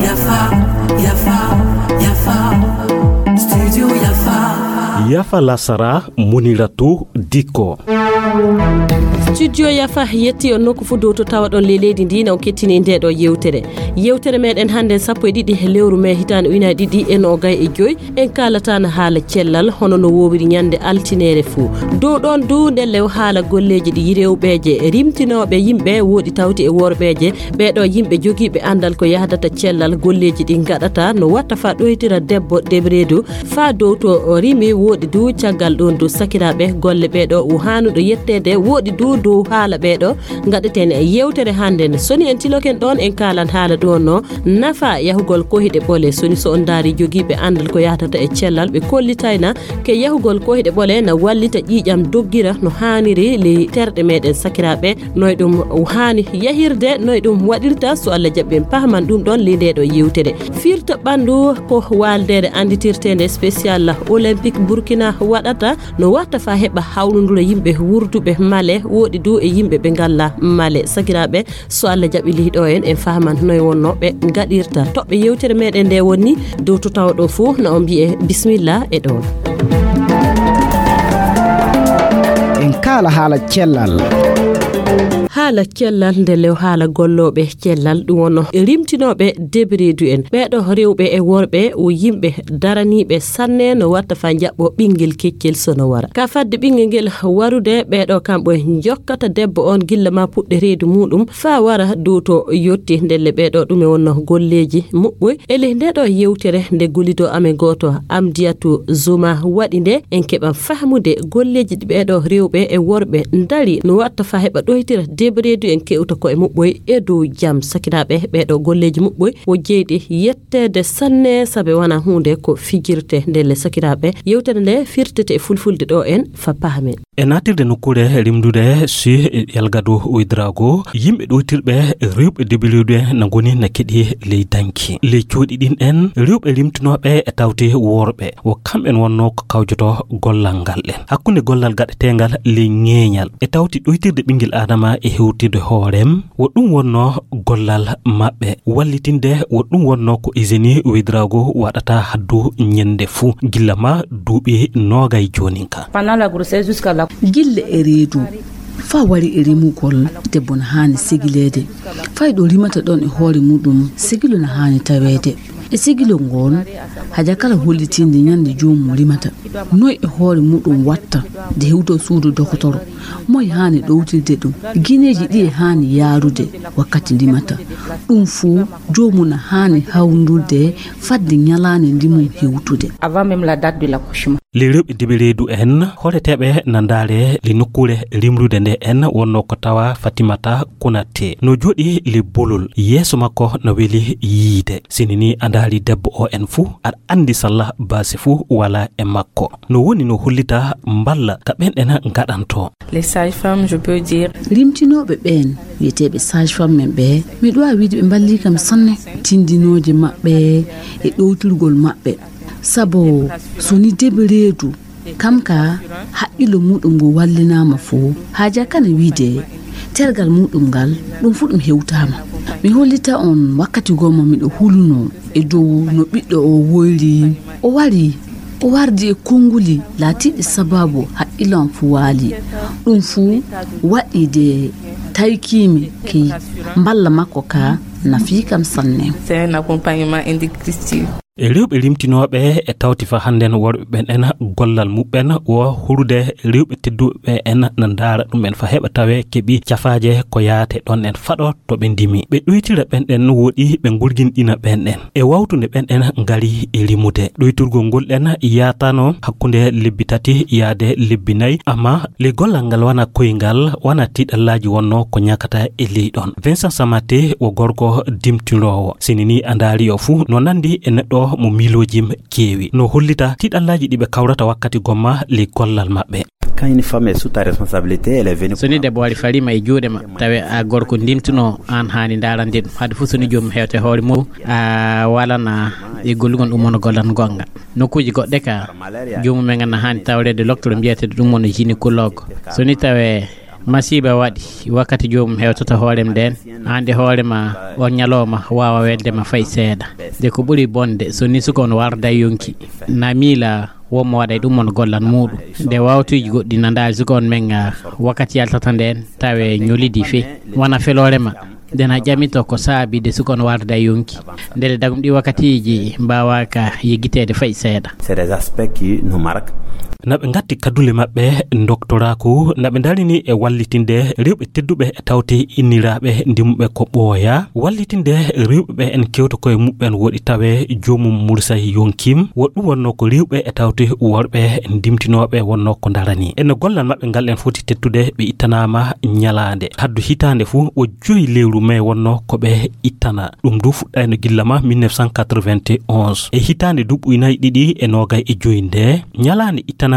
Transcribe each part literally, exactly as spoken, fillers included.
Yafa, yafa, yafa. Studio yafa. Yafa lasara, Muniratu Dikko. Studio yafa yetti on nokku fof dow to tawaɗon ley leydi ndi na on kettini nde ɗo yewtere. Yewtere meɗen hannde sappo e ɗiɗi lewru mee hitaande ujunaaji ɗiɗi e noogay e joy. En kaalataano haala cellal hono no woowiri ñande altineere fuu. Dow ɗoon du ndelle o haala golleeji ɗi rewɓeeje rimtinooɓe yimɓe wooɗi tawti e worɓeeje. Ɓee ɗo yimɓe jogiiɓe anndal ko yahdata cellal golleeji ɗi ngaɗata no watta faa ɗoytira debbo debreedu faa dow to rimi wooɗi du caggal ɗoon du sakiraaɓe golle ɓee ɗo o haanuɗo yetteede wooɗi du dow haala ɓee ɗo ngaɗeten e yewtere hannde nde. So ni en tiloken ɗoon en kaalan haala ɗoon no nafa yahugol kohiɗe ɓole. So ni so on ndaari jogiiɓe anndal ko yahdata e cellal ɓe kollitayna ke yahugol kohiɗe ɓole na wallita ƴiiƴam doggira no haaniri ley terɗe meɗen sakiraaɓe. Noy ɗum haani yahirde, noy ɗum waɗirta, so Allah jaɓi en pahaman ɗum ɗoon ley nde ɗo yewtere. Firta ɓanndu ko waaldeere annditirteende spécial olympique Burkina waɗata no watta faa heɓa hawlundura yimɓe wurduɓe male wooɗi du e yimɓe ɓe ngalla male. Sakiraaɓe, so Allah jaɓi ley ɗo en, en fahaman noy wonno ɓe ngaɗirta. Toɓɓe yewtere meɗen nde woni dow to tawa ɗo fof na on mbiye bismillah e ɗoon. En kaala haala cellal. Haala cellal nde lew haala gollooɓe cellal ɗum wonno rimtinooɓe debereedu en. Ɓee ɗo rewɓe e worɓe o yimɓe daraniiɓe sanne no watta faa njaɓɓo ɓinngel keccel so no wara. Ka fadde ɓinngel ngel warude ɓee ɗo kamɓe njokkata debbo on gilla ma puɗɗe reedu muɗum faa wara dow to yotti. Ndelle ɓee ɗo ɗum e wonno golleeji muɓɓoy. E ley nde ɗo yewtere nde golido amen gooto Amdiyatu Zuma waɗi nde en keɓan fahmude golleeji ɗi ɓee ɗo rewɓe e worɓe ndari no watta faa heɓa ɗoytira debereedu en kewta ko e muɓɓoy e dow jam. Sakiraaɓe, ɓee ɗo golleeji muɓɓoy o jeyɗi yetteede sanne sabe wona huunde ko fijirte. Ndelle sakiraaɓe, yewtere nde firtete e fulfulde ɗo en fa pahamen. E naatirde nokkuure rimdude si Yalgado Ouedraogo, yimɓe ɗoytirɓe rewɓe debereedu na ngoni na keɗi ley danki. Ley cuuɗi ɗin en, rewɓe rimtinooɓe e tawti worɓe, wo kamɓen wonno ko kawjoto gollal ngal ɗen. Hakkunde gollal gaɗeteengal ley ŋeeñal, e tawti ɗoytirde ɓinngel Aadama e hewtirde hoorem, wo ɗum wonno gollal maɓɓe. Wallitinde wo ɗum wonno ko Eugénie Ouedraogo waɗata haddu ñande fuu, gilla ma duuɓi noogay joonin ka. Pendant la grossesse jusqu'à la Gilla e reedu, faa wari e rimugol, debbo na haani segileede. Fay ɗo rimata ɗon e hoore muɗum, segilo na haani taweede. E segilo ngoon, haja kala hollitinde ñande joomum rimata. Noy e hoore muɗum watta, de hewto suudu dokotoro. Moy haani ɗowtirde ɗum? Gineeji ɗiye haani yaarude wakkati rimata? Ɗum fuu, joomum na haani hawrundurde fadde ñalaande ndimum hewtude. Avant même la date de l'accouchement. Ley rewɓe debereedu en, horeteeɓe na ndaare le nokkuure rimrude nde en wonno ko tawa Fatimata Konaté. No jooɗi le bolol, yeeso makko na weli yiide. Sini ni a ndaari debbo o en fuu, aɗa anndi salla baasi fuu wala e makko. No woni no hollita mballa ka ɓen ɗen ngaɗanto. Les sages-femmes, je peux dire. Rimtinooɓe ɓeen, wiyeteeɓe sage-femme men ɓe, miɗo waawi wiide ɓe mballii kam sanne, tindinooje maɓɓe e ɗowtirgol maɓɓe. Sabu so ni debereedu, kam ka haqqillo muɗum ngo wallinaama fof, haaja kana wiide tergal muɗum ngal, ɗum fof ɗum hewtaama. Mi hollita on wakkati gomma miɗo hulunoo e dow no ɓiɗɗo o woyri. O wari, o wardi e konnguli laatiiɗi sababu haqqillo am fuu waali. Ɗum fuu waɗi de taykiimi key mballa makko ka nafii kam sanne. C'est un accompagnement indique Christine. E rewɓe rimtinooɓe e tawti fa hannden worɓe ɓen en gollal muɓɓen wo hurude rewɓe tedduɓe en na ndaara ɗum en fa heɓa tawe keɓi cafaaje ko yaate ɗon en faɗo to ɓe ndimi. Ɓe ɗoytira ɓen ɗen woɗi ɓe ngurginɗina ɓen ɗen. E wawtunde ɓen ɗen ngari e rimude. Ɗoyturgol ngol ɗen yaatano hakkunde lebbi tati yaade lebbi nayi, amma le gollal ngal wana koyngal, wana tiɗallaaji wonno ko ñakata e ley ɗon. Vincent Samaté wo gorko dimtinoowo. Sini ni a ndaari o fuu no nandi e neɗɗo mo miilooji keewi. No hollita tiɗallaaji ɗi ɓe kawrata wakkati gomma le gollal maɓɓe. Quand une femme est sous ta responsabilité, elle est venue. So ni debbo wari fariima e juuɗe ma, tawe a gorko ndimtuno, aan haani ndaarande ɗum. Hade fof so ni joomum hewte hoore mum, a walana e gollugol ɗum wona gollal goonga. Nokkuuji goɗɗe ka, joomum en na haani tawreede loktoro mbiyeteeɗo ɗum wona gynécologue. So ni tawe Masiiba waɗi wakkati joomum hewtata hoorem nden, aan de hoore ma on ñalooma waawa welde ma fay seeɗa. Nde ko ɓuri bonde, so ni suka on warda yonki, na miila wonmo waɗay ɗum on gollan muuɗum. Nde wawtuuji goɗɗi na ndaari suka on men, ah, wakkati yaltata nden, tawe ñolidi fey. Wona feloore ma, nde na ƴamito ko saabi de suka on warda yonki. Ndele dagum ɗi wakkatiiji mbaawaka yeggiteede fay seeɗa. C'est des aspects qui nous marquent. Na ɓe ngatti kaddule maɓɓe doktoraaku, na ɓe ndarini e wallitinde rewɓe tedduɓe e tawte inniraaɓe ndimuɓe ko ɓooya, wallitinde rewɓe ɓe en kewta koye muɓɓen woɗi tawe joomum mursay yonkim, woɗɗum wonno ko rewɓe e tawte worɓe ndimtinooɓe wonno ko ndarani. Ene gollal maɓɓe ngal en foti tettude ɓe ittanaama ñalaande. Haddu hitaande fuu o joyi lewru mai wonno ko ɓe ittana. Ɗum du fuɗɗayno gilla ma mille neuf cent quatre-vingt-onze. E hitaande duuɓi nayi ɗiɗi e noogay e joyi nde, ñalaande ittanaande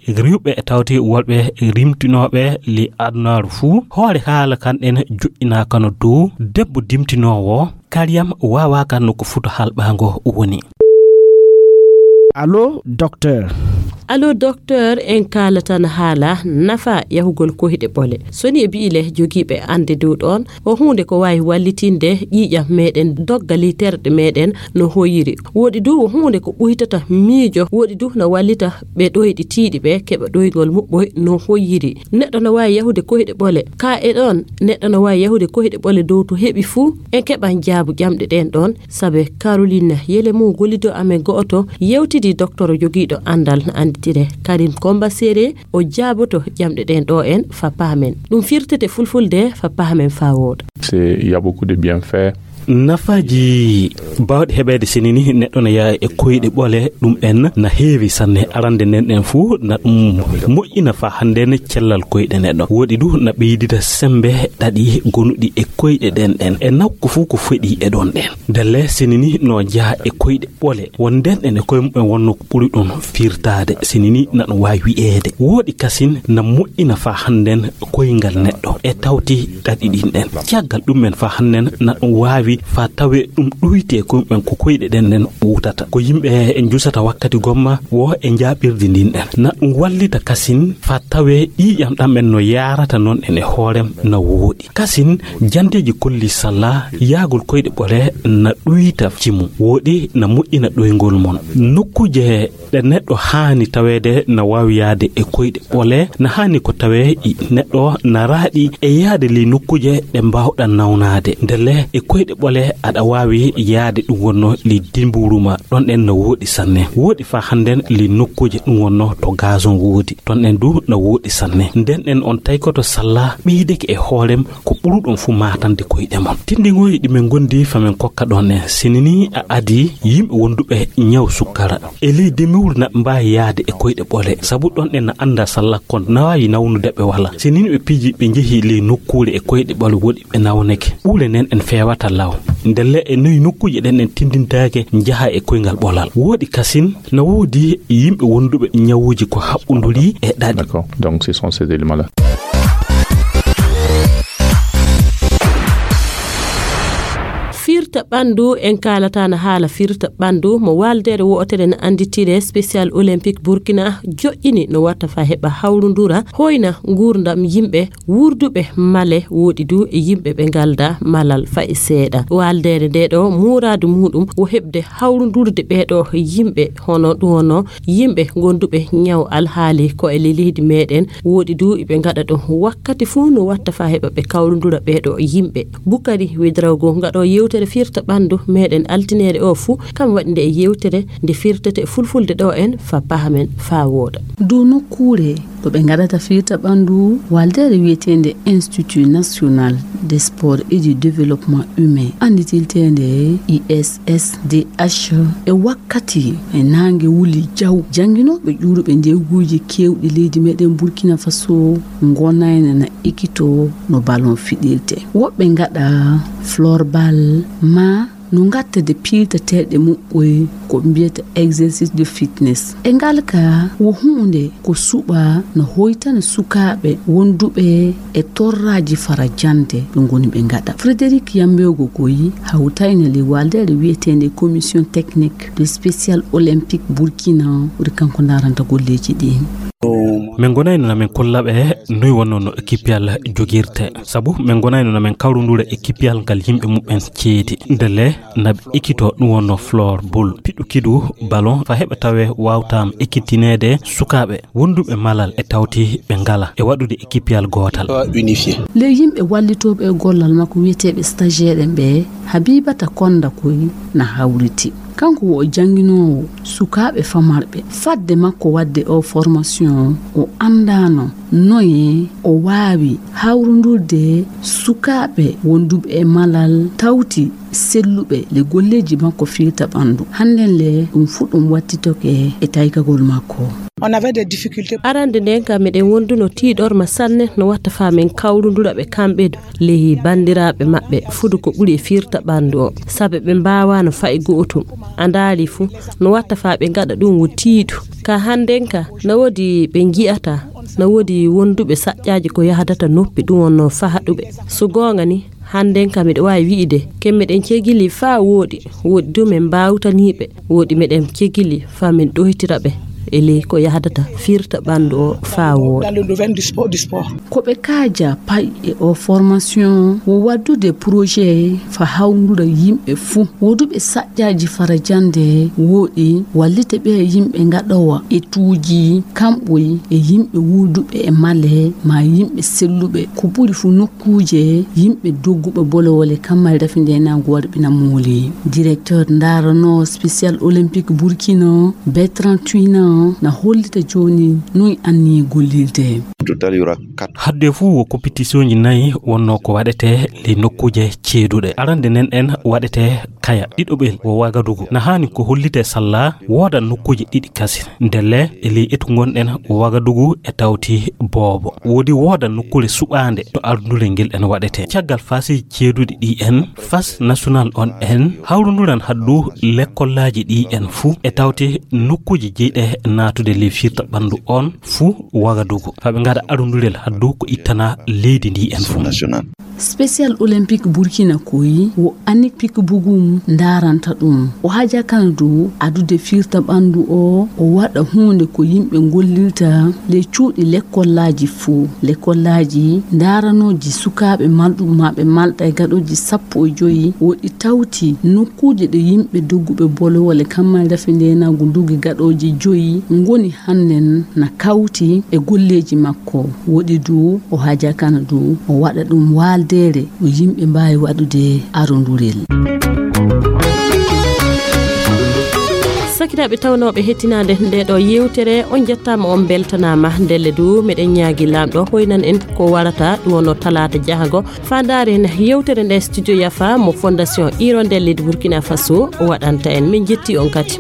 rewɓe e tawte worɓe rimtinooɓe ley adunaaru fuu, hoore haala kan ɗen joɗɗinaakano dow debbo dimtinoowo, kariyam waawaaka no ko futa halɓaango woni. Allo, docteur. Allo, docteur, en kaalatan haala nafa yahugol koyɗe ɓole. So ni e bi'ile jogiiɓe annde dow ɗon, ko huunde ko waawi wallitinde ƴiiƴam meɗen, dogga ley terɗe meɗen no hoyiri. Woɗi du ko huunde ko ɓuytata miijo, woɗi du no wallita ɓe ɗoyɗi tiiɗi ɓe keɓa ɗoygol muɓɓoy no hoyiri. Neɗɗo no waawi yahude koyɗe ɓole. Ka e ɗon, neɗɗo no waawi yahude koyɗe ɓole dow to heɓi fuu, en keɓan jaabu ƴamɗe ɗen ɗon, sabe Caroline Yelemu gollido amen go'oto yewtidi doktoro jogiiɗo anndal no annditire Karim Komba Sere, o jaaboto ƴamɗe ɗen ɗo en fa pahamen. Ɗum firtete fulfulde fa pahamen fa wooɗa. C'est, il y a beaucoup de bienfaits. Nafaaji baawɗi heɓeede sinini neɗɗo na yaha e koyɗe ɓole ɗum en na heewi sanne. Arande nden ɗen fuu na ɗum moƴƴina fa hannde ne cellal koyɗe neɗɗo. Woɗi du na ɓeydida sembe ɗaɗi gonuɗi e koyɗe ɗen ɗen. E nakku fuu ko feɗi e ɗon ɗen. Ndelle sinini no njaha e koyɗe ɓole. Won nden ɗen e koye muɓɓen wonno ko ɓuri ɗum firtaade. Sinini na ɗum waawi wi'eede. Woɗi kasin na moƴƴina fa hannden koyngal neɗɗo e tawti ɗaɗi ɗin ɗen. Caggal ɗum men fa hannden na ɗum waawi fa tawe ɗum ɗuyte koye muɓɓen ko koyɗe ɗen ɗen ɓuutata. Ko yimɓe e njusata wakkati gomma wo e njaaɓirdi ndin ɗen. Na ɗum wallita kasin fa tawe ƴiiƴam ɗam men no yaarata non en e hoorem na wooɗi. Kasin, jandeeji kolli salla yaagol koyɗe ɓole na ɗuyta cimu, woɗi na moƴƴina ɗoyngol mon. Nokkuuje ɗe neɗɗo haani taweede na waawi yaade e koyɗe ɓole, na haani ko tawee i neɗɗo na raaɗi e yaade ley nokkuuje ɗe mbaawɗa nawnaade. Ndelle e koyɗe ɓole aɗa waawi yaade ɗum wonno ley dimbuuru ma, ɗon ɗen na wooɗi sanne. Wooɗi faa hannden ley nokkuuje ɗum wonno to gazon woodi. Ton en du na wooɗi sanne. Nden en on taykoto salla ɓeydeke e hoorem ko ɓuruɗon fu maatande koyɗe mon. Tinndingooji ɗi men ngondi fa men kokka ɗon en. Sinini a adi yimɓe wonduɓe ñaw sukkara. E ley demiwul na mbaawi yaade e koyɗe ɓole. Sabu ɗon en na annda salla kon na waawi nawnude ɓe wala. Sinini ɓe piiji ɓe njehi ley nokkuure e koyɗe ɓole woɗi ɓe nawneke. Ɓuule nen en feewata law. Ndelle e noyi nokkuuje ɗen en tinndintaake njaha e koyngal ɓolal. Wooɗi kasin na woodi yimɓe wonduɓe ñawuuji ko haɓɓunduri e ɗaɗi. D'accord. Donc, ce sont ces éléments-là. Firta ɓanndu, en kaalataano haala firta ɓanndu mo waaldeere wootere no annditire Special Olympique Burkina joƴƴini no watta fa heɓa hawrundura, hoyna nguurndam yimɓe wuurduɓe male, woɗi du e yimɓe ɓe ngalda malal fay seeɗa. Waaldeere nde ɗo muuraadu muuɗum wo heɓde hawrundurde ɓee ɗo yimɓe, hono ɗum wonno yimɓe gonduɓe ñaw alhaali ko e ley leydi meɗen, woɗi du iɓe ngaɗa ɗum wakkati fuu no watta fa heɓa ɓe kawrundura ɓee ɗo yimɓe. Bukari Wedrawgo ngaɗo yewtere firta ɓanndu meɗen altineere o fuu, kam waɗi nde yewtere nde firtete fulfulde ɗo en fa pahamen fa wooɗa. Dow nokkuure ɗo ɓe ngaɗata firta ɓanndu, waaldeere wiyeteende Institut National des Sports et du Développement Humain, annditiilteende I S S D H, e wakkati e naange wuli jaw, jannginooɓe ƴuuruɓe ndeeguuji keewɗi leydi meɗen Burkina Faso ngonayna na ekkito no ballon fiɗirte. Woɓɓe ngaɗa floorball ma no ngattade piiltateeɗe muɓɓoy ko mbiyata exercice de fitness. E ngal ka wo huunde ko suɓa no hoytana sukaaɓe wonduɓe e torraaji fara jannde ɓe ngoni ɓe ngaɗa. Frédéric Yambego Goyi hawtayna ley waaldeere wiyeteende Commission Technique de Special Olympique Burkina, woni kanko ndaaranta golleeji ɗin. Min ngonayno na min kolla ɓe noy wonno no équipiyal jogirte. Sabu min ngonayno na min kawrundura équipiyal ngal yimɓe muɓɓen ceedi. Ndelle na ɓe ekkito ɗum wonno floorball. Piɗɗukidu ballon fa heɓa tawe wawtam ekkitineede sukaaɓe wonduɓe malal e tawti ɓe ngala e waɗude équipiyal gootal. Unifié. Ley yimɓe wallitooɓe e gollal makko wiyeteeɓe stagiaire en ɓe, Habibata Konda koy na hawriti. Kanko wo o jannginoowo sukaaɓe famarɓe. Fadde makko waɗde o formation, o anndaano noye o waawi hawrundurde sukaaɓe wonduɓe e malal tawti selluɓe le golleeji makko firta ɓanndu. Hannden le ɗum fuu ɗum wattitoke e taykagol makko. On avait des difficultés. Arande nden kam meɗen wonduno tiiɗorma sanne no watta faa min kawrundura ɓe kamɓe du. Lehi banndiraaɓe maɓɓe fudu ko ɓuri e firta ɓanndu o, sabe ɓe mbaawano fa'i go'otum. A ndaari fu, no watta faa ɓe ngaɗa ɗum wo tiiɗu. Ka hannden ka, na woodi ɓe ngi'ata, na woodi wonduɓe saƴƴaaji ko yahdata noppi ɗum wonno fahaɗuɓe. So goonga ni, hannden ka miɗo waawi wi'ide, ken meɗen cegili faa wooɗi, wooɗi du min mbaawtaniiɓe, wooɗi meɗen cegili faa min ɗoytira ɓe e ley ko yahdata firta ɓanndu o faa wooɗi. Dans le domaine du sport, du sport. Ko ɓe kaaja pay e o formation wo waddude projet fa hawndura yimɓe fuu. Woduɓe saƴƴaaji fara jannde wooɗi wallite ɓe yimɓe ngaɗowa e tuuji kamɓoy e yimɓe wuuduɓe e male ma yimɓe selluɓe. Ko ɓuri fuu nokkuuje yimɓe dogguɓe bolowole kammal dafi ndenaagu warɓina mooli. Directeur ndaarano Spécial Olympique Burkina, Bertrand Twina, na hollita jooni noy anni gollirde. Total, il y aura quatre. Hadde fuu wo compétitionji nayi wonno ko waɗete ley nokkuuje ceeduɗe. Arande nden en waɗete Kaya, ɗiɗoɓel wo Wagadugu. Na haani ko hollite salla wooda nokkuuje ɗiɗi kasi. Ndelle e ley etu ngonɗen wo Wagadugu e tawti boobo. Woodi wooda nokkuure suɓaande to ardunure ngel en waɗete. Caggal fasi ceeduɗi ɗi en, fas national on en, hawrunduran haddu lekkollaaji ɗi en fuu e tawti nokkuuje jeyɗe naatude ley firta ɓanndu on fuu Wagadugu. Faa ɓe ngaɗa arundurel haddu ko ittana leydi ndi en fuu. National. Spécial Olympique Burkina koy wo Anik Pikbugum ndaaranta ɗum. O haja kana du adude firta ɓanndu o, o waɗa huunde ko yimɓe ngollirta ley cuuɗi lekkollaaji fuu. Lekkollaaji ndaaranooji sukaaɓe malɗum maa ɓe malɗa e gaɗooji sappo e joyi woɗi tawti nokkuuje ɗe yimɓe dogguɓe bolowole kammal dafe ndeenaagu ndugi gaɗooji joyi ngoni hannden na kawti e golleeji makko. Woɗi du o haja kana du o waɗa ɗum waaldeere no yimɓe mbaawi waɗude arondurel. Sakiraaɓe tawnooɓe hettinaande nde ɗo yewtere, on njettaama, on mbeltanaama. Ndelle du, meɗen ñaagi Laamɗo hoynan en ko warata, ɗum wonno talaata jahago. Faa ndaaren yewtere nde Studio Yafa mo Fondation Hirondelle de Burkina Faso waɗanta en. Min njetti on kadi.